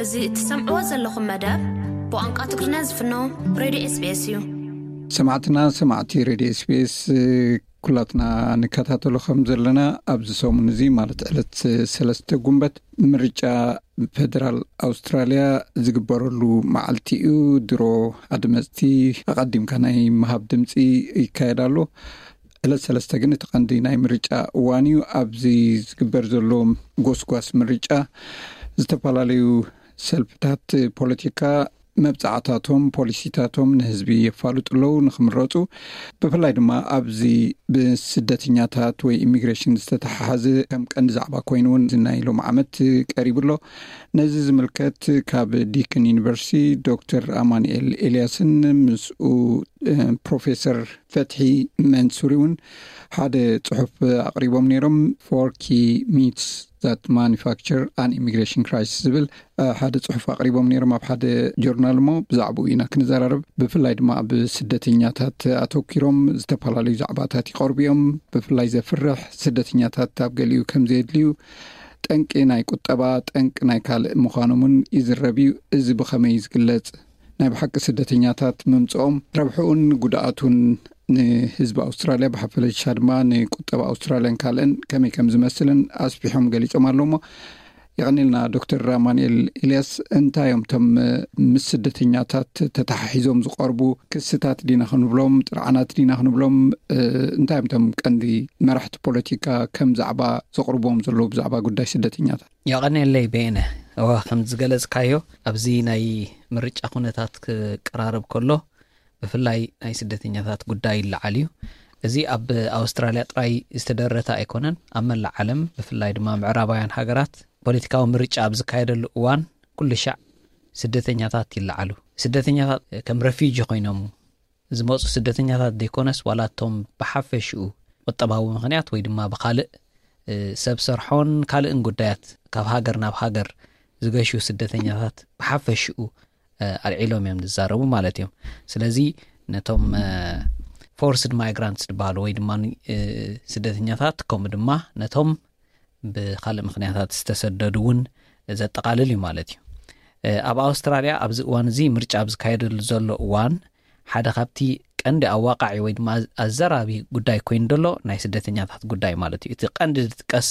እዚ እትሰምዕዎ ዘለኹም መደብ ብቋንቋ ትግርኛ ዝፍኖ ሬድዮ ኤስቢኤስ እዩ። ሰማዕትና ሰማዕቲ ሬድዮ ኤስቢኤስ፣ ኩላትና ንከታተሎ ከም ዘለና ኣብዚ ሰሙን እዚ ማለት ዕለት ሰለስተ ጉንበት ምርጫ ፌደራል ኣውስትራልያ ዝግበረሉ መዓልቲ እዩ። ድሮ ኣድመፅቲ ኣቐዲምካ ናይ ምሃብ ድምፂ ይካየድ ኣሎ። ዕለት ሰለስተ ግን እቲ ቀንዲ ናይ ምርጫ እዋን እዩ። ኣብዚ ዝግበር ዘሎ ጎስጓስ ምርጫ ዝተፈላለዩ ሰልፍታት ፖለቲካ መብጻዕታቶም ፖሊሲታቶም ንህዝቢ የፋልጡ ኣለዉ ንክምረፁ። ብፍላይ ድማ ኣብዚ ብስደተኛታት ወይ ኢሚግሬሽን ዝተተሓሓዘ ከም ቀንዲ ዛዕባ ኮይኑ እውን ናይ ሎም ዓመት ቀሪቡ ኣሎ። ነዚ ዝምልከት ካብ ዲክን ዩኒቨርሲቲ ዶክተር ኣማኑኤል ኤልያስን ምስኡ ፕሮፌሰር ፈትሒ መንሱሪ እውን ሓደ ፅሑፍ ኣቕሪቦም ነይሮም። Four Key Myths That Manufacture an Immigration Crisis ዝብል ሓደ ፅሑፍ ኣቕሪቦም ነይሮም ኣብ ሓደ ጆርናል እሞ ብዛዕባኡ ኢና ክንዘራረብ። ብፍላይ ድማ ኣብ ስደተኛታት ኣተኪሮም ዝተፈላለዩ ዛዕባታት ይቐርቡ እዮም። ብፍላይ ዘፍርሕ ስደተኛታት ኣብ ገሊኡ ከም ዘየድልዩ፣ ጠንቂ ናይ ቁጠባ ጠንቂ ናይ ካልእ ምዃኖምን ይዝረብ እዩ። እዚ ብኸመይ ዝግለጽ? ናይ ብሓቂ ስደተኛታት ምምፅኦም ረብሕኡን ጉድኣቱን ንህዝቢ ኣውስትራልያ ብሓፈሻ ድማ ንቁጠባ ኣውስትራልያን ካልእን ከመይ ከም ዝመስልን ኣስፊሖም ገሊጾም ኣለዉ። እሞ የቐኒልና ዶክተር ኣማኑኤል ኤልያስ፣ እንታይ እዮም እቶም ምስ ስደተኛታት ተተሓሒዞም ዝቐርቡ ክስታት ዲና ክንብሎም ጥርዓናት ዲና ክንብሎም እንታይ እዮም እቶም ቀንዲ መራሕቲ ፖለቲካ ከም ዛዕባ ዘቕርብዎም ዘለዉ ብዛዕባ ጉዳይ ስደተኛታት? የቐንየለይ በየነ። እወ ከም ዝገለጽካዮ ኣብዚ ናይ ምርጫ ኩነታት ክቀራረብ ከሎ ብፍላይ ናይ ስደተኛታት ጉዳይ ይለዓል እዩ። እዚ ኣብ ኣውስትራልያ ጥራይ ዝተደረተ ኣይኮነን። ኣብ መላእ ዓለም ብፍላይ ድማ ምዕራባውያን ሃገራት ፖለቲካዊ ምርጫ ኣብ ዝካየደሉ እዋን ኩሉ ሻዕ ስደተኛታት ይለዓሉ። ስደተኛታት ከም ረፊጂ ኮይኖም ዝመፁ ስደተኛታት ዘይኮነስ ዋላ እቶም ብሓፈሽኡ ቁጠባዊ ምክንያት ወይ ድማ ብካልእ ሰብ ሰርሖን ካልእን ጉዳያት ካብ ሃገር ናብ ሃገር ዝገሹ ስደተኛታት ብሓፈሽኡ ኣልዒሎም እዮም ዝዛረቡ ማለት እዮም። ስለዚ ነቶም forced migrants ዝበሃሉ ወይ ድማ ስደተኛታት ከምኡ ድማ ነቶም ብካልእ ምክንያታት ዝተሰደዱ እውን ዘጠቓልል እዩ ማለት እዩ። ኣብ ኣውስትራልያ ኣብዚ እዋን እዚ ምርጫ ኣብ ዝካየደሉ ዘሎ እዋን ሓደ ካብቲ ቀንዲ ኣዋቃዒ ወይ ድማ ኣዘራቢ ጉዳይ ኮይኑ ዘሎ ናይ ስደተኛታት ጉዳይ ማለት እዩ። እቲ ቀንዲ ዝጥቀስ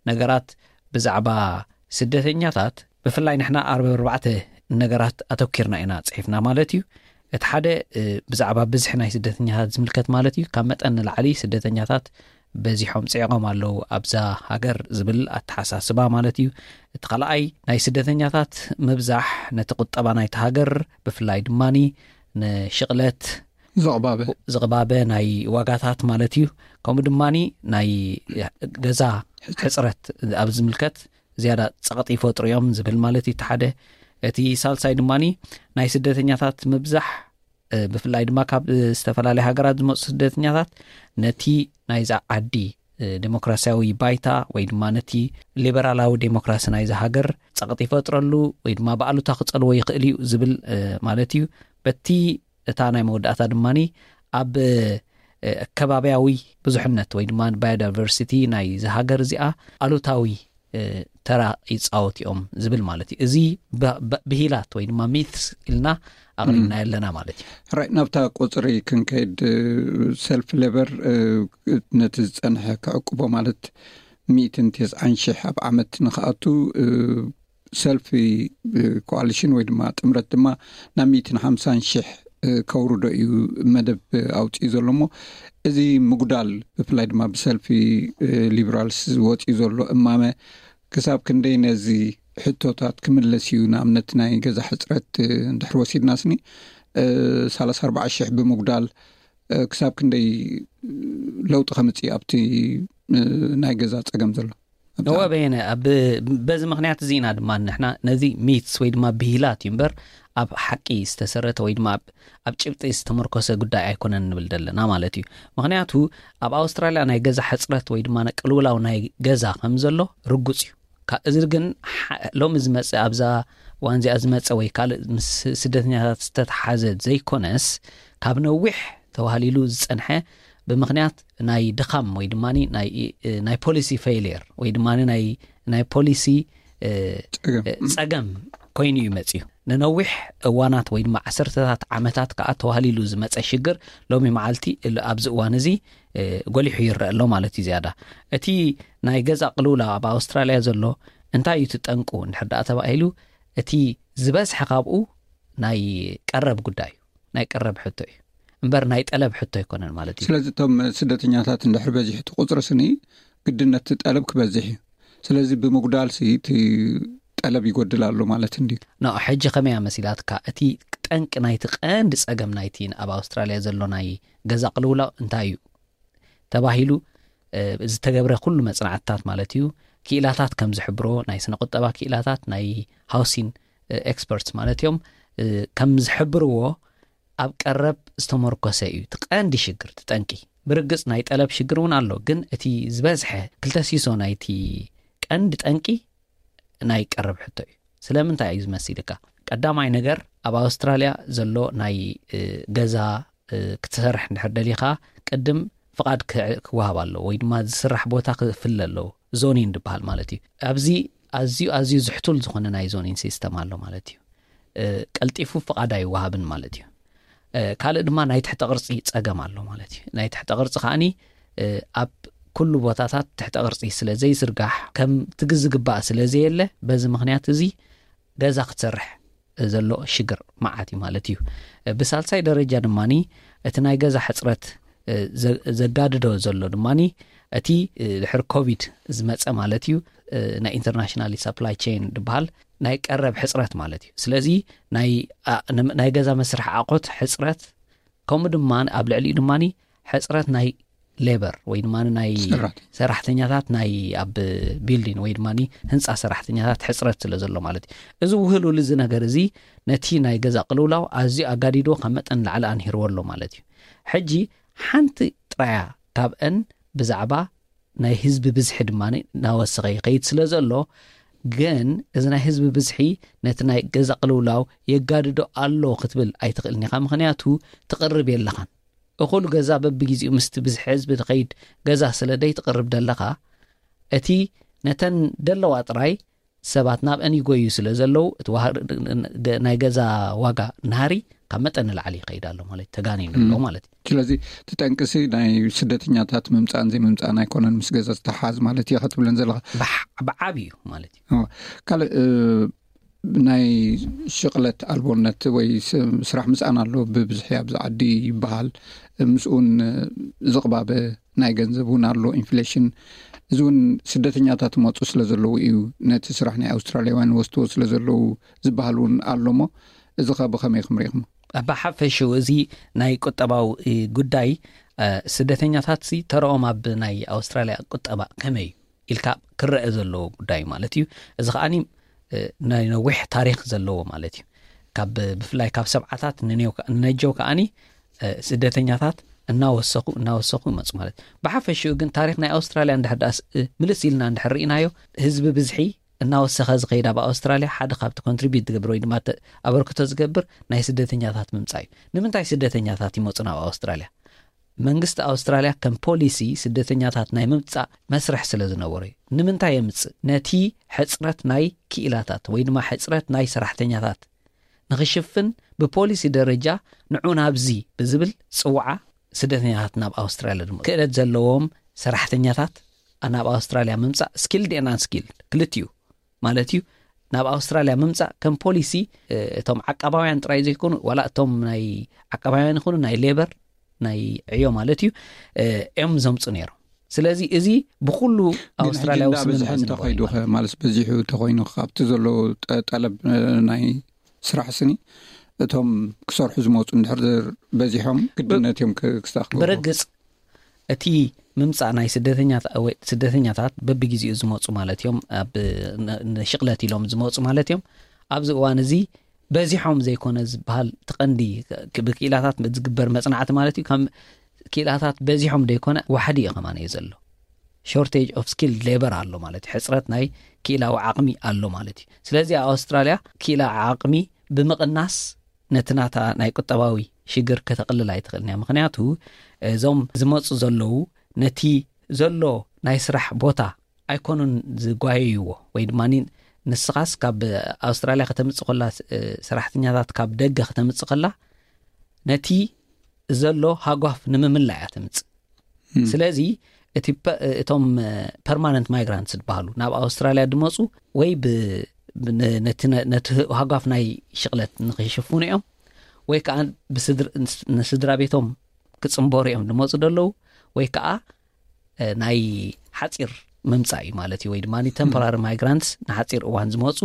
ነገራት ብዛዕባ ስደተኛታት ብፍላይ ንሕና ኣርባ ኣርባዕተ ነገራት ኣተኪርና ኢና ፅሒፍና ማለት እዩ። እቲ ሓደ ብዛዕባ ብዝሒ ናይ ስደተኛታት ዝምልከት ማለት እዩ። ካብ መጠን ንላዕሊ ስደተኛታት በዚሖም ፅዒቖም ኣለዉ ኣብዛ ሃገር ዝብል ኣተሓሳስባ ማለት እዩ። እቲ ካልኣይ ናይ ስደተኛታት ምብዛሕ ነቲ ቁጠባ ናይቲ ሃገር ብፍላይ ድማኒ ንሽቕለት ዘቕባበ ዝቕባበ ናይ ዋጋታት ማለት እዩ። ከምኡ ድማኒ ናይ ገዛ ሕፅረት ኣብ ዝምልከት ዝያዳ ፀቕጢ ይፈጥሩ እዮም ዝብል ማለት እዩ። እቲ ሓደ እቲ ሳልሳይ ድማኒ ናይ ስደተኛታት ምብዛሕ ብፍላይ ድማ ካብ ዝተፈላለየ ሃገራት ዝመፁ ስደተኛታት ነቲ ናይዛ ዓዲ ዴሞክራሲያዊ ባይታ ወይ ድማ ነቲ ሊበራላዊ ዴሞክራሲ ናይዚ ሃገር ፀቕጢ ይፈጥረሉ ወይ ድማ ብኣሉታ ክፀልዎ ይኽእል እዩ ዝብል ማለት እዩ። በቲ እታ ናይ መወዳእታ ድማ ኣብ ከባቢያዊ ብዙሕነት ወይ ድማ biodiversity ናይዚ ሃገር እዚኣ ኣሉታዊ ተራ ይፃወት እዮም ዝብል ማለት እዩ። እዚ ብሂላት ወይ ድማ myths ኢልና ኣቕሪብና ኣለና ማለት እዩ። ራይ ናብታ ቁፅሪ ክንከይድ፣ ሰልፍ ሌበር ነቲ ዝፀንሐ ክዕቅቦ ማለት ሚእትን ተስዓን ሽሕ ኣብ ዓመት ንክኣቱ ሰልፊ ኮኣሊሽን ወይ ድማ ጥምረት ድማ ናብ ሚእትን ሓምሳን ሽሕ ከውርዶ እዩ መደብ ኣውፅኡ ዘሎ። እሞ እዚ ምጉዳል ብፍላይ ድማ ብሰልፊ ሊብራልስ ዝወፅኡ ዘሎ እማመ ክሳብ ክንደይ ነዚ ሕቶታት ክምለስ እዩ? ንኣብነት ናይ ገዛ ሕፅረት እንድሕር ወሲድና ስኒ ሰላሳ ኣርባዓ ሽሕ ብምጉዳል ክሳብ ክንደይ ለውጢ ከምፅእ ኣብቲ ናይ ገዛ ፀገም ዘሎ? እወ በየነ፣ በዚ ምክንያት እዚ ኢና ድማ ንሕና ነዚ myths ወይ ድማ ብሂላት እዩ እምበር ኣብ ሓቂ ዝተሰረተ ወይ ድማ ኣብ ጭብጢ ዝተመርኮሰ ጉዳይ ኣይኮነን ንብል ዘለና ማለት እዩ። ምክንያቱ ኣብ ኣውስትራልያ ናይ ገዛ ሕፅረት ወይ ድማ ቅልውላው ናይ ገዛ ከም ዘሎ ርጉፅ እዩ። እዚ ግን ሎሚ ዝመፀ ኣብዛ ዋንዚኣ ዝመፀ ወይ ካልእ ምስ ስደተኛታት ዝተተሓዘ ዘይኮነስ ካብ ነዊሕ ተባህሊሉ ዝፀንሐ ብምክንያት ናይ ድኻም ወይ ድማ ናይ policy failure ወይ ድማ ናይ policy ፀገም ኮይኑ እዩ መፅዩ። ንነዊሕ እዋናት ወይ ድማ ዓሰርተታት ዓመታት ከዓ ተዋህሊሉ ዝመፀ ሽግር ሎሚ መዓልቲ ኣብዚ እዋን እዚ ጎሊሑ ይረአ ኣሎ ማለት እዩ። ዝያዳ እቲ ናይ ገዛ ቅልውላ ኣብ ኣውስትራልያ ዘሎ እንታይ እዩ ትጠንቁ እንድሕር ደኣ ተባሂሉ፣ እቲ ዝበዝሐ ካብኡ ናይ ቀረብ ጉዳይ እዩ፣ ናይ ቀረብ ሕቶ እዩ እምበር ናይ ጠለብ ሕቶ ኣይኮነን ማለት እዩ። ስለዚ እቶም ስደተኛታት እንድሕር በዚሑ እቲ ቁፅሪ ስኒ ግድነት ጠለብ ክበዝሕ እዩ። ስለዚ ብምጉዳል ሲ እቲ ጠለብ ይጎድል ኣሎ ማለት እንዲ። ና ሕጂ ከመያ መሲላትካ? እቲ ጠንቂ ናይቲ ቀንዲ ፀገም ናይቲ ኣብ ኣውስትራልያ ዘሎ ናይ ገዛ ቅልውላው እንታይ እዩ ተባሂሉ ዝተገብረ ኩሉ መፅናዕትታት ማለት እዩ፣ ክኢላታት ከም ዝሕብሮ፣ ናይ ስነ ቁጠባ ክኢላታት፣ ናይ ሃውሲን ኤክስፐርትስ ማለት እዮም ከም ዝሕብርዎ፣ ኣብ ቀረብ ዝተመርኮሰ እዩ እቲ ቀንዲ ሽግር፣ እቲ ጠንቂ። ብርግፅ ናይ ጠለብ ሽግር እውን ኣሎ፣ ግን እቲ ዝበዝሐ ክልተ ሲሶ ናይቲ ቀንዲ ጠንቂ ናይ ቀረብ ሕቶ እዩ። ስለምንታይ እዩ ዝመሲልካ? ቀዳማይ ነገር፣ ኣብ ኣውስትራልያ ዘሎ ናይ ገዛ ክትሰርሕ እንድሕር ደሊኻ ቅድም ፍቓድ ክወሃብ ኣለዎ ወይ ድማ ዝስራሕ ቦታ ክፍለ ኣለዎ። ዞኒን ዝበሃል ማለት እዩ። ኣብዚ ኣዝዩ ኣዝዩ ዝሕቱል ዝኾነ ናይ ዞኒን ሲስተም ኣሎ ማለት እዩ። ቀልጢፉ ፍቓድ ኣይወሃብን ማለት እዩ። ካልእ ድማ ናይ ትሕተ ቅርፂ ፀገም ኣሎ ማለት እዩ። ናይ ትሕተ ቅርፂ ከዓኒ ኣብ ኩሉ ቦታታት ትሕተ ቅርፂ ስለ ዘይዝርጋሕ፣ ከምቲ ዝግባእ ስለ ዘየለ፣ በዚ ምኽንያት እዚ ገዛ ክትሰርሕ ዘሎ ሽግር መዓት እዩ ማለት እዩ። ብሳልሳይ ደረጃ ድማ እቲ ናይ ገዛ ሕፅረት ዘጋድዶ ዘሎ ድማ እቲ ድሕር ኮቪድ ዝመፀ ማለት እዩ፣ ናይ ኢንተርናሽናል ሳፕላይ ቼን ዝበሃል ናይ ቀረብ ሕፅረት ማለት እዩ። ስለዚ ናይ ገዛ መስርሒ ኣቑሑት ሕፅረት፣ ከምኡ ድማ ኣብ ልዕሊኡ ድማ ሕፅረት ናይ ሌበር ወይ ድማ ናይ ሰራሕተኛታት፣ ናይ ኣብ ቢልዲን ወይ ድማ ህንፃ ሰራሕተኛታት ሕፅረት ስለ ዘሎ ማለት እዩ። እዚ ውህሉል እዚ ነገር እዚ ነቲ ናይ ገዛ ቅልውላው ኣዝዩ ኣጋዲድዎ ካብ መጠን ላዕሊ ኣንሂርዎ ኣሎ ማለት እዩ። ሕጂ ሓንቲ ጥራያ ካብአን ብዛዕባ ናይ ህዝቢ ብዝሒ ድማ እናወሰኸ ይኸይድ ስለ ዘሎ፣ ግን እዚ ናይ ህዝቢ ብዝሒ ነቲ ናይ ገዛ ቅልውላው የጋድዶ ኣሎ ክትብል ኣይትኽእልን ኢኻ። ምኽንያቱ ትቕርብ የለኻን። እኹል ገዛ በብግዜኡ ምስቲ ብዝሒ ህዝቢ ዝኸይድ ገዛ ስለ ደይ ትቕርብ ደለኻ፣ እቲ ነተን ደለዋ ጥራይ ሰባት ናብአን ይጎዩ ስለ ዘለዉ፣ እቲ ናይ ገዛ ዋጋ ናህሪ ካብ መጠን ንላዕሊ ይኸይድ ኣሎ ማለት፣ ተጋኒኑ ኣሎ ማለት እዩ። ስለዚ እቲ ጠንቅሲ ናይ ስደተኛታት ምምፃእን ዘይምምፃእን ኣይኮነን ምስ ገዛ ዝተሓዝ ማለት እዩ ክትብለን ዘለካ። ብዓብ እዩ ማለት እዩ። ካልእ ናይ ሽቕለት ኣልቦነት ወይ ስራሕ ምፃን ኣሎ ብብዝሒ ኣብዚ ዓዲ ይበሃል። ምስኡን ዝቕባበ ናይ ገንዘብ እውን ኣሎ፣ ኢንፍሌሽን። እዚ እውን ስደተኛታት ይመፁ ስለ ዘለዉ እዩ፣ ነቲ ስራሕ ናይ ኣውስትራልያውያን ወስድዎ ስለ ዘለዉ ዝበሃል እውን ኣሎ። እሞ እዚ ከ ብኸመይ ክምሪኽሞ? ብሓፈሽኡ እዚ ናይ ቁጠባዊ ጉዳይ ስደተኛታት ሲ ተረኦም ኣብ ናይ ኣውስትራልያ ቁጠባ ከመይ እዩ ኢልካ ክረአ ዘለዎ ጉዳይ ማለት እዩ። እዚ ከዓኒ ናይ ነዊሕ ታሪክ ዘለዎ ማለት እዩ። ካብ ብፍላይ ካብ ሰብዓታት ንነጀው ከዓኒ ስደተኛታት እናወሰኹ እናወሰኹ ይመፁ ማለት እዩ። ብሓፈሽኡ ግን ታሪክ ናይ ኣውስትራልያ እንድሕር ዳኣ ምልስ ኢልና እንድሕር ርኢናዮ፣ ህዝቢ ብዝሒ እናወሰኸ ዝኸይድ ኣብ ኣውስትራልያ ሓደ ካብቲ ኮንትሪቢዩት ዝገብር ወይ ድማ ኣበርክቶ ዝገብር ናይ ስደተኛታት ምምፃእ እዩ። ንምንታይ ስደተኛታት ይመፁ ናብ ኣውስትራልያ? መንግስቲ ኣውስትራልያ ከም ፖሊሲ ስደተኛታት ናይ ምምፃእ መስርሕ ስለ ዝነበሮ እዩ። ንምንታይ የምፅእ? ነቲ ሕፅረት ናይ ክኢላታት ወይ ድማ ሕፅረት ናይ ሰራሕተኛታት ንኽሽፍን ብፖሊሲ ደረጃ ንዑ ናብዚ ብዝብል ፅውዓ ስደተኛታት ናብ ኣውስትራልያ ድማ ክእለት ዘለዎም ሰራሕተኛታት ናብ ኣውስትራልያ ምምፃእ፣ ስኪልድ ኤን ኣን ስኪልድ ክልቲኡ ማለት እዩ፣ ናብ ኣውስትራልያ ምምፃእ ከም ፖሊሲ እቶም ዓቃባውያን ጥራይ ዘይኮኑ ዋላ እቶም ናይ ዓቃባውያን ይኹኑ ናይ ሌበር ናይ ዕዮ ማለት እዩ እዮም ዘምፁ ነይሮም። ስለዚ እዚ ብኩሉ ኣውስትራልያዊ ስምምዕ ዝነበረ ማለት በዚሑ ተኮይኑ ካብቲ ዘሎ ጠለብ ናይ ስራሕ ስኒ እቶም ክሰርሑ ዝመፁ እንድሕር በዚሖም ግድነት እዮም ክስታኽ ብርግፅ እቲ ምምፃእ ናይ ስደተኛታት በብግዜኡ ዝመፁ ማለት እዮም፣ ኣብ ንሽቕለት ኢሎም ዝመፁ ማለት እዮም። ኣብዚ እዋን እዚ በዚሖም ዘይኮነ ዝበሃል እቲ ቀንዲ ብክኢላታት ዝግበር መፅናዕቲ ማለት እዩ። ከም ክኢላታት በዚሖም ዘይኮነ ዋሕዲ እዩ ከማን እዩ ዘሎ። ሾርቴጅ ኦፍ ስኪልድ ሌበር ኣሎ ማለት እዩ። ሕፅረት ናይ ክኢላዊ ዓቕሚ ኣሎ ማለት እዩ። ስለዚ ኣብ ኣውስትራልያ ክኢላ ዓቕሚ ብምቕናስ ነቲ ናታ ናይ ቁጠባዊ ሽግር ከተቕልል ኣይትኽእልን እያ። ምኽንያቱ እዞም ዝመፁ ዘለዉ ነቲ ዘሎ ናይ ስራሕ ቦታ ኣይኮኑን ዝጓየይዎ ወይ ድማ ንስኻስ ካብ ኣውስትራልያ ከተምጽእ ከላ፣ እ፣ ሰራሕተኛታት ካብ ደገ ከተምጽእ ከላ፣ ነቲ ዘሎ ሃጓፍ ንምምላእ እያ ተምጽእ። ስለዚ እቲ ፐ-፣ እቶም፣ እ፣ ፐርማነንት ማይግራንትስ ዝበሃሉ ናብ ኣውስትራልያ ዝመጹ ወይ ብ-፣ ብ-፣ ነ-፣ ነቲ ነ-፣ ነቲ ሃጓፍ ናይ ሽቕለት ንኽሽፍኑ እዮም፣ ወይ ከዓ ብስድር-፣ ንስ-፣ ንስድራ ቤቶም ክጽንበሩ እዮም ዝመጹ ዘለዉ፣ ወይ ከዓ፣ እ፣ ናይ ሓጺር ምምጻእ እዩ ማለት እዩ፣ ወይ ድማ ቴምፖራሪ ማይግራንትስ ንሓጺር እዋን ዝመጹ፣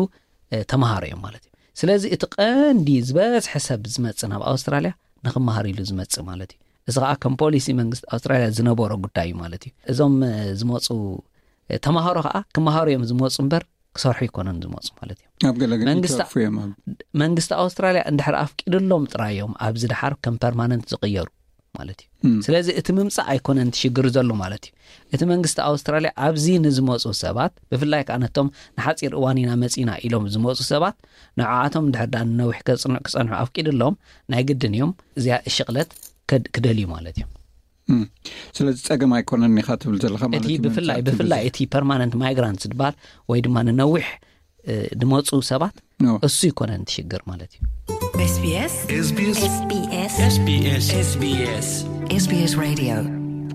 እ፣ ተምሃሮ እዮም ማለት እዩ። ስለዚ እቲ ቀንዲ ዝበዝሐ ሰብ ዝመጽእ ናብ ኣውስትራልያ ንኽመሃር ኢሉ ዝመጽእ ማለት እዩ። እዚ ከዓ ከም ፖሊሲ መንግስቲ ኣውስትራልያ ዝነበሮ ጉዳይ እዩ ማለት እዩ። እዞም፣ እ፣ ዝመጹ፣ እ፣ ተምሃሮ ከዓ ክመሃሩ እዮም ዝመጹ እምበር ክሰርሑ ኣይኮነን ዝመጹ ማለት እዩ። ኣብ ገለ ገለ መንግስቲ ይተርፉ እዮም ኣብ መንግስቲ ኣውስትራልያ እንድሕር ኣፍቂድሎም ጥራይ እዮም ኣብዚ ደሓር ከም ፐርማነንት ዝቕየሩ ማለት እዩ። እም። ስለዚ እቲ ምምጻእ ኣይኮነን እቲ ሽግር ዘሎ ማለት እዩ። እቲ መንግስቲ ኣውስትራልያ ኣብዚ ንዝመጹ ሰባት፣ ብፍላይ ከዓ ነቶም ንሓጺር እዋን ኢና መጺና ኢሎም ዝመጹ ሰባት፣ ንዓኣቶም እንድሕር ደኣ ንነዊሕ ከጽንዑ፣ ክጸንሑ ኣፍቂድሎም፣ ናይ ግድን እዮም እዚኣ ሽቕለት ከድ-፣ ክደልዩ ማለት እዮም። እም። ስለዚ ጸገም ኣይኮነን ኢኻ ትብል ዘለኻ ማለት እቲ እዩ፣ ብፍላይ፣ ምምጻእ እቲ ብፍላይ ብዙሕ። እቲ ፐርማነንት ማይግራንት ዝበሃል ወይ ድማ ንነዊሕ፣ እ፣ ዝመጹ ሰባት ኖ። እሱ ይኮነን እቲ ሽግር ማለት እዩ። SBS SBS SBS SBS SBS Radio።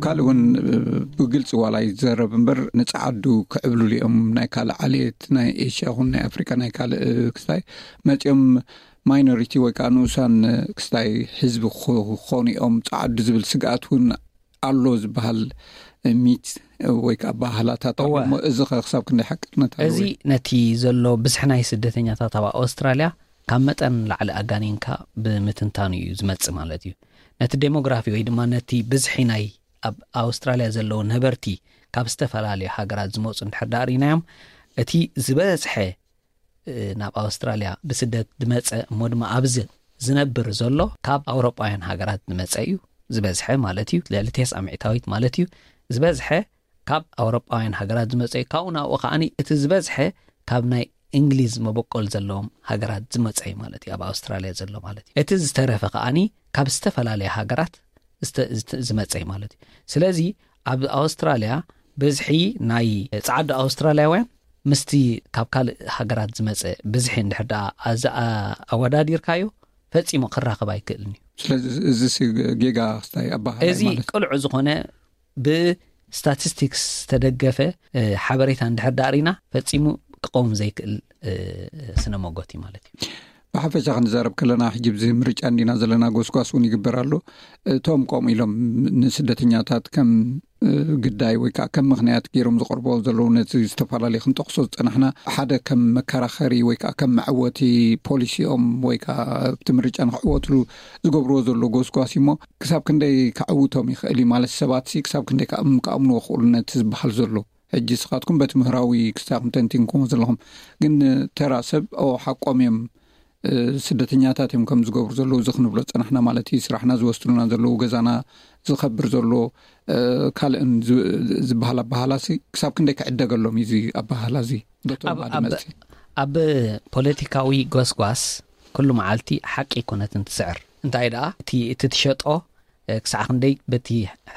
ካልእ እውን፣ እ፣ ብግልጺ ዋላ ይዘረብ እምበር ንጸዓዱ ክዕብልሉ እዮም ናይ ካልእ ዓሌት ናይ ኤሽያ ይኹን ናይ ኣፍሪካ ናይ ካልእ፣ እ፣ ክስታይ መጺኦም ማይኖሪቲ ወይ ከዓ ንኡሳን፣ እ፣ ክስታይ ህዝቢ ክኾ-፣ ክኾኑ እዮም ጸዓዱ ዝብል ስግኣት እውን ኣሎ ዝበሃል ሚት ወይ ከዓ ባህላታት ኣሎ እወ። እሞ እዚ ኸ ክሳብ ክንደይ ሓቅነት ኣለዎ? እዚ ነቲ ዘሎ ብዝሒ ናይ ስደተኛታት ኣብ ኣውስትራልያ ካብ መጠን ላዕሊ ኣጋኒንካ ብምትንታኑ እዩ ዝመጽእ ማለት እዩ። ነቲ ዴሞግራፊ ወይ ድማ ነቲ ብዝሒ ናይ ኣብ ኣውስትራልያ ዘለዉ ነበርቲ ካብ ዝተፈላለዩ ሃገራት ዝመጹ እንድሕር ደኣ ርኢናዮም፣ እቲ ዝበዝሐ እ፣ ናብ ኣውስትራልያ ብስደት ዝመጸ እሞ ድማ ኣብዚ ዝነብር ዘሎ ካብ ኣውሮጳውያን ሃገራት ዝመጸ እዩ ዝበዝሐ ማለት እዩ። ልዕሊ ተስዓ ሚእታዊት ማለት እዩ ዝበዝሐ ካብ ኣውሮጳውያን ሃገራት ዝመጸ እዩ። ካብኡ ናብኡ ከዓኒ እቲ ዝበዝሐ ካብ ናይ እንግሊዝ መበቆል ዘለዎም ሃገራት ዝመጸ እዩ ማለት እዩ፣ ኣብ ኣውስትራልያ ዘሎ ማለት እዩ። እቲ ዝተረፈ ከዓኒ ካብ ዝተፈላለያ ሃገራት ዝተ-፣ ዝተ-፣ ዝመጸ እዩ ማለት እዩ። ስለዚ ኣብ ኣውስትራልያ ብዝሒ ናይ ጻዕዳ ኣውስትራልያውያን ምስቲ ካብ ካልእ ሃገራት ዝመጸ ብዝሒ እንድሕር ደኣ ኣዛ-፣ ኣ-፣ ኣወዳዲርካዮ ፈጺሙ ክራኸብ ኣይክእልን እዩ። ስለዚ እዚ ሲ ጌጋ ክስታይ ኣበሃህላይ እዚ ማለት እዩ። ቅሉዕ ዝኾነ ብስታቲስቲክስ ዝተደገፈ፣ እ፣ ሓበሬታ እንድሕር ደኣ ርኢና ፈጺሙ ክቐውም ዘይክእል፣ እ፣ ስነ መጎት እዩ ማለት እዩ። ብሓፈሻ ክንዛረብ ከለና ሕጂ ብዚ ምርጫ እንዲና ዘለና ጎስጓስ እውን ይግበር ኣሎ። እቶም ከምኡ ኢሎም ንስደተኛታት ከም፣ እ፣ ግዳይ ወይ ከዓ ከም ምኽንያት ገይሮም ዝቐርቦ ዘለዉ ነቲ ዝተፈላለዩ ክንጠቕሶ ዝጸናሕና ሓደ ከም መከራኸሪ ወይ ከዓ ከም መዕወቲ ፖሊሲኦም ወይ ከዓ ኣብቲ ምርጫ ንክዕወትሉ ዝገብርዎ ዘሎ ጎስጓስ እዩ እሞ ክሳብ ክንደይ ከዕውቶም ይኽእል እዩ ማለት ሰባት ሲ ክሳብ ክንደይ ከኣም-፣ ከኣምንዎ ክኽእሉ ነቲ ዝበሃል ዘሎ? ሕጂ ስኻትኩም በቲ ምህራዊ ክስታኹም ተንቲንኩሞ ዘለኹም፣ ግን ተራ ሰብ ኦ ሓቆም እዮም፣ እ፣ ስደተኛታት እዮም ከም ዝገብሩ ዘለዉ እዚ ክንብሎ ዝጸናሕና ማለት እዩ። ስራሕና ዝወስዱልና ዘለዉ፣ ገዛና ዝኸብር ዘሎ፣ እ፣ ካልእን ዝ-፣ ዝበሃል ኣበሃህላ ሲ ክሳብ ክንደይ ክዕደገሎም እዩ እዚ ኣበሃህላ እዚ? በቶም ኣብ፣ ኣብ፣ ኣድመፅቲ። ኣብ ፖለቲካዊ ጎስጓስ ኩሉ መዓልቲ ሓቂ ኣይኮነትን ትስዕር። እንታይ ደኣ እቲ፣ እቲ ትሸጦ እ፣ ክሳዕ ክንደይ በቲ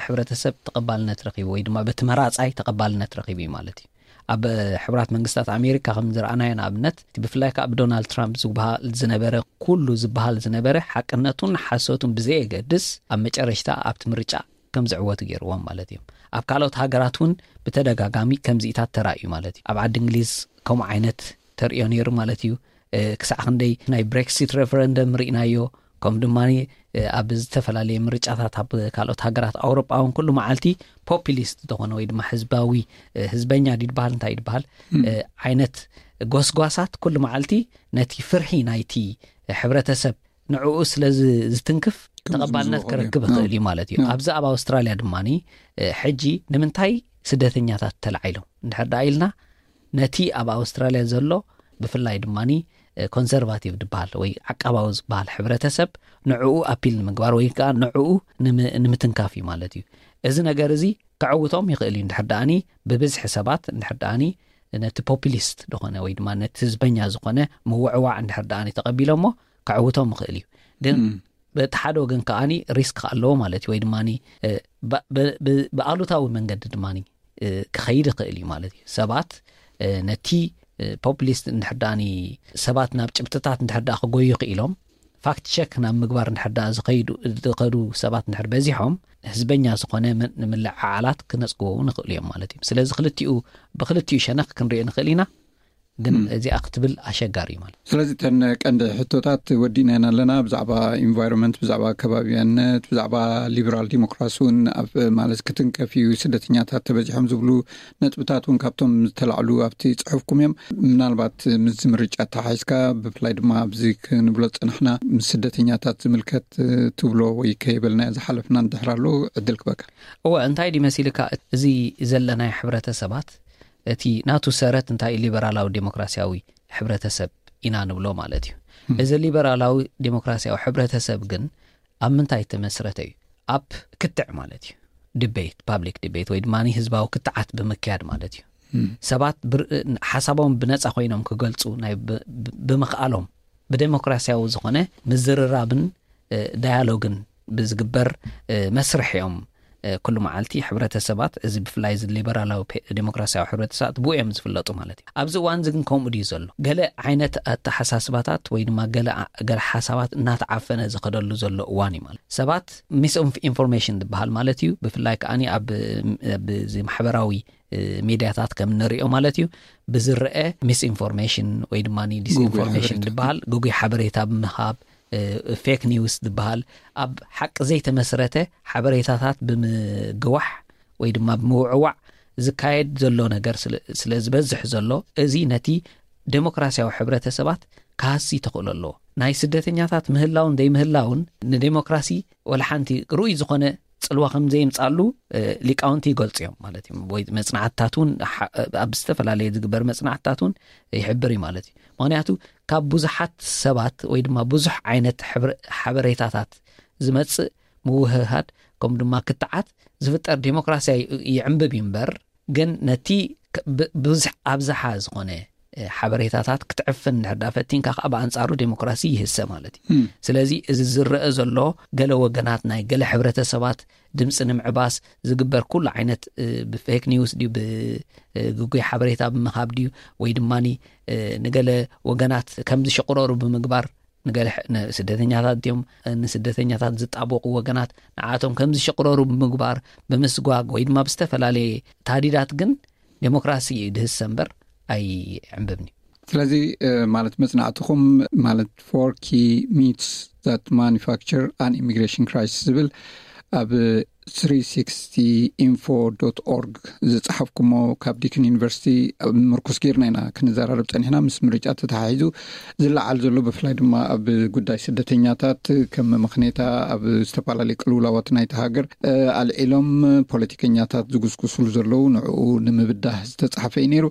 ሕብረተሰብ ተቐባልነት ረኺቡ ወይ ድማ በቲ መራጻይ ተቐባልነት ረኺቡ እዩ ማለት እዩ። ኣብ ሕቡራት መንግስታት ኣሜሪካ ከም ዝረኣናዮ ንኣብነት፣ እቲ ብፍላይ ከኣ ብዶናልድ ትራምፕ ዝበሃል ዝነበረ፣ ኩሉ ዝበሃል ዝነበረ ሓቅነቱን ሓሶቱን ብዘየገድስ ኣብ መጨረሽታ ኣብቲ ምርጫ ከም ዝዕወቱ ገይርዎም ማለት እዮም። ኣብ ካልኦት ሃገራት እውን ብተደጋጋሚ ከምዚኢታት ተራእዩ ማለት እዩ። ኣብ ዓዲ እንግሊዝ ከምኡ ዓይነት ተርእዮ ነይሩ ማለት እዩ። እ፣ ክሳዕ ክንደይ ናይ ብሬክሲት ሬፈረንደም ርኢናዮ፣ ከም ድማ፣ እ፣ ኣብ ዝተፈላለየ ምርጫታት ኣብ ካልኦት ሃገራት ኣውሮጳ እውን ኩሉ መዓልቲ ፖፒሊስት ዝኾነ ወይ ድማ ህዝባዊ፣ እ፣ ህዝበኛ ድዩ ዝበሃል እንታይ ድበሃል፣ እ፣ ዓይነት ጎስጓሳት ኩሉ መዓልቲ ነቲ ፍርሒ ናይቲ ሕብረተሰብ ንዕኡ ስለ ዝ-፣ ዝትንክፍ ከም ተቐባልነት ዝብዝዎ ክረክብ ይኽእል እዩ ማለት እዩ። ያ። ኣብዚ ኣብ ኣውስትራልያ ድማኒ፣ እ፣ ሕጂ ንምንታይ ስደተኛታት ተላዒሎም እንድሕር ደኣ ኢልና ነቲ ኣብ ኣውስትራልያ ዘሎ ብፍላይ ድማኒ፣ እ፣ ኮንሰርቫቲቭ ዝበሃል ወይ ዓቃባዊ ዝበሃል ሕብረተሰብ ንዕኡ ኣፒል ንምግባር ወይ ከኣ ንዕኡ ንም-፣ ንምትንካፍ እዩ ማለት እዩ። እዚ ነገር እዚ ከዕውቶም ይኽእል እዩ እንድሕር ደኣኒ ብብዝሒ ሰባት እንድሕር ደኣኒ ነቲ ፖፒሊስት ዝኾነ ወይ ድማ ነቲ ህዝበኛ ዝኾነ ምውዕዋዕ እንድሕር ደኣኒ ተቐቢሎሞ ከዕውቶም ይኽእል እዩ። ግን እም። በቲ ሓደ ወገን ከኣኒ ሪስክ ኣለዎ ማለት እዩ። ወይ ድማኒ፣ እ፣ ብ-፣ ብ-፣ ብ-፣ ብኣሉታዊ መንገዲ ድማኒ፣ እ፣ ክኸይድ ይኽእል እዩ ማለት እዩ። ሰባት፣ እ፣ ነቲ ፖፕሊስት እንድሕር ደኣ ሰባት ናብ ጭብጥታት እንድሕር ደኣ ክጎዩ ክኢሎም፣ ፋክት ቸክ ናብ ምግባር እንድሕር ደኣ ዝኸዱ ሰባት እንድሕር በዚሖም፣ ህዝበኛ ዝኾነ ምልዕዓላት ክነፅግዎ ንኽእሉ እዮም ማለት እዩ። ስለዚ ክልቲኡ ብክልቲኡ ሸነኽ ክንሪኦ ንኽእል ኢና። ግን እዚኣ ክትብል ኣሸጋሪ እዩ ማለት። ስለዚ እተን ቀንዲ ሕቶታት ወዲእናየን ኣለና። ብዛዕባ ኢንቫይሮንመንት፣ ብዛዕባ ከባቢያነት፣ ብዛዕባ ሊበራል ዲሞክራሲ እውን ኣብ ማለት ክትንከፍ እዩ፣ ስደተኛታት ተበዚሖም ዝብሉ ነጥብታት እውን ካብቶም ዝተላዕሉ ኣብቲ ጽሑፍኩም እዮም። ምናልባት ምስዚ ምርጫ ተሓሒዝካ፣ ብፍላይ ድማ ኣብዚ ክንብሎ ዝጸናሕና ምስ ስደተኛታት ዝምልከት ትብሎ ወይ ከይበልና ዝሓለፍና እንድሕር ኣሎ ዕድል ክበካ። እወ፣ እንታይ ድዩ መሲልካ፣ እዚ ዘለናዮ ሕብረተሰባት እቲ ናቱ ሰረት እንታይ ሊበራላዊ ዴሞክራሲያዊ ሕብረተሰብ ኢና ንብሎ ማለት እዩ። እዚ ሊበራላዊ ዴሞክራሲያዊ ሕብረተሰብ ግን ኣብ ምንታይ ተመስረተ እዩ? ኣብ ክትዕ ማለት እዩ። ዲቤት፣ ፓብሊክ ዲቤት ወይ ድማ ህዝባዊ ክትዓት ብምክያድ ማለት እዩ። ሰባት ሓሳቦም ብነፃ ኮይኖም ክገልፁ ናይ ብምኽኣሎም ብዴሞክራሲያዊ ዝኾነ ምዝርራብን ዳያሎግን ብዝግበር መስርሕ እዮም። ኩሉ መዓልቲ ሕብረተሰባት፣ እዚ ብፍላይ እዚ ሊበራላዊ ዴሞክራሲያዊ ሕብረተሰባት ብኡ እዮም ዝፍለጡ ማለት እዩ። ኣብዚ እዋን እዚ ግን ከምኡ ድዩ ዘሎ? ገለ ዓይነት ኣተሓሳስባታት ወይ ድማ ገለ ሓሳባት እናተዓፈነ ዝኸደሉ ዘሎ እዋን እዩ ማለት። ሰባት ሚስ ኢንፎርሜሽን ዝበሃል ማለት እዩ። ብፍላይ ከዓኒ ኣብ ማሕበራዊ ሚድያታት ከም ንሪኦ ማለት እዩ፣ ብዝረአ ሚስ ኢንፎርሜሽን ወይ ድማ ዲስኢንፎርሜሽን ዝበሃል፣ ግጉይ ሓበሬታ ብምሃብ፣ ፌክ ኒውስ ዝበሃል፣ ኣብ ሓቂ ዘይተመስረተ ሓበሬታታት ብምግዋሕ ወይ ድማ ብምውዕዋዕ ዝካየድ ዘሎ ነገር ስለ ዝበዝሕ ዘሎ፣ እዚ ነቲ ዴሞክራሲያዊ ሕብረተሰባት ክሃሲ ተኽእሎ ኣለዎ። ናይ ስደተኛታት ምህላውን ዘይምህላውን ንዴሞክራሲ ወላ ሓንቲ ርኡይ ዝኾነ ፅልዋ ከም ዘየምፃሉ ሊቃውንቲ ይገልፁ እዮም ማለት እዩ። ወይ መፅናዕትታት እውን ኣብ ዝተፈላለየ ዝግበር መፅናዕትታት እውን ይሕብር እዩ ማለት እዩ። ምክንያቱ ካብ ብዙሓት ሰባት ወይ ድማ ብዙሕ ዓይነት ሓበሬታታት ዝመፅእ ምውህሃድ ከም ድማ ክትዓት ዝፍጠር ዴሞክራሲያ ይዕንብብ እዩ እምበር፣ ግን ነቲ ብዙሕ ኣብዝሓ ዝኾነ ሓበሬታታት ክትዕፍን እንድሕር ዳ ፈቲንካ ከዓ ብኣንፃሩ ዴሞክራሲ ይህሰ ማለት እዩ። ስለዚ እዚ ዝረአ ዘሎ ገለ ወገናት ናይ ገለ ሕብረተሰባት ድምፂ ንምዕባስ ዝግበር ኩሉ ዓይነት ብፌክ ኒውስ ድዩ፣ ብግጉይ ሓበሬታ ብምሃብ ድዩ፣ ወይ ድማ ንገለ ወገናት ከም ዝሽቕረሩ ብምግባር ንገለ ስደተኛታት ድዮም፣ ንስደተኛታት ዝጣበቑ ወገናት ንዓቶም ከም ዝሽቕረሩ ብምግባር፣ ብምስጓግ ወይ ድማ ብዝተፈላለየ ታዲዳት ግን ዴሞክራሲ እዩ ድህሰ እምበር ኣይዕንብብን እዩ። ስለዚ ማለት መጽናዕትኹም ማለት four key myths that manufacture an immigration crisis ዝብል ኣብ three sixty info dot org ዝጸሓፍኩሞ ካብ ዲክን ዩኒቨርሲቲ ምርኩስ ጌርና ኢና ክንዘራረብ ጸኒሕና። ምስ ምርጫ ተተሓሒዙ ዝለዓል ዘሎ ብፍላይ ድማ ኣብ ጉዳይ ስደተኛታት ከም መመኽኔታ ኣብ ዝተፈላለዩ ቅልውላዋት ናይቲ ሃገር ኣልዒሎም ፖለቲከኛታት ዝጉስጉስሉ ዘለዉ ንዕኡ ንምብዳህ ዝተጻሕፈ እዩ ነይሩ።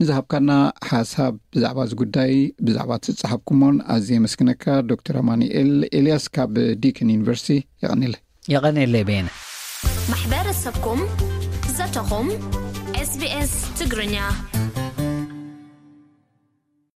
ንዝሃብካና ሓሳብ ብዛዕባ እዚ ጉዳይ ብዛዕባ ትጻሓፍኩሞን ኣዝየ የመስግነካ ዶክተር ኣማኑኤል ኤልያስ ካብ ዲክን ዩኒቨርሲቲ። የቐንየለይ። የቐንየለይ በየነ። ማሕበረሰብኩም ዘተኹም SBS ትግርኛ።